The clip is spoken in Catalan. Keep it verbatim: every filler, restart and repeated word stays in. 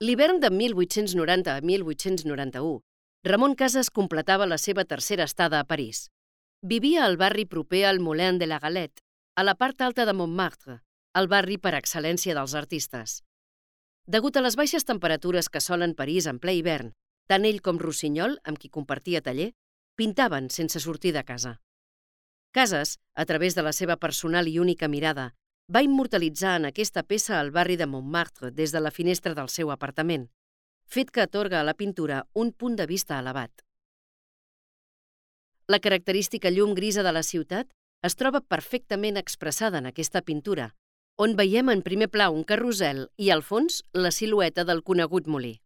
L'hivern de mil vuit-cents noranta a mil vuit-cents noranta-u, Ramon Casas completava la seva tercera estada a París. Vivia al barri proper al Moulin de la Galette, a la part alta de Montmartre, el barri per excel·lència dels artistes. Degut a les baixes temperatures que solen París en ple hivern, tant ell com Rossinyol, amb qui compartia taller, pintaven sense sortir de casa. Casas, a través de la seva personal i única mirada, va immortalitzar en aquesta peça el barri de Montmartre des de la finestra del seu apartament, fet que atorga a la pintura un punt de vista elevat. La característica llum grisa de la ciutat es troba perfectament expressada en aquesta pintura, on veiem en primer pla un carrusel i, al fons, la silueta del conegut molí.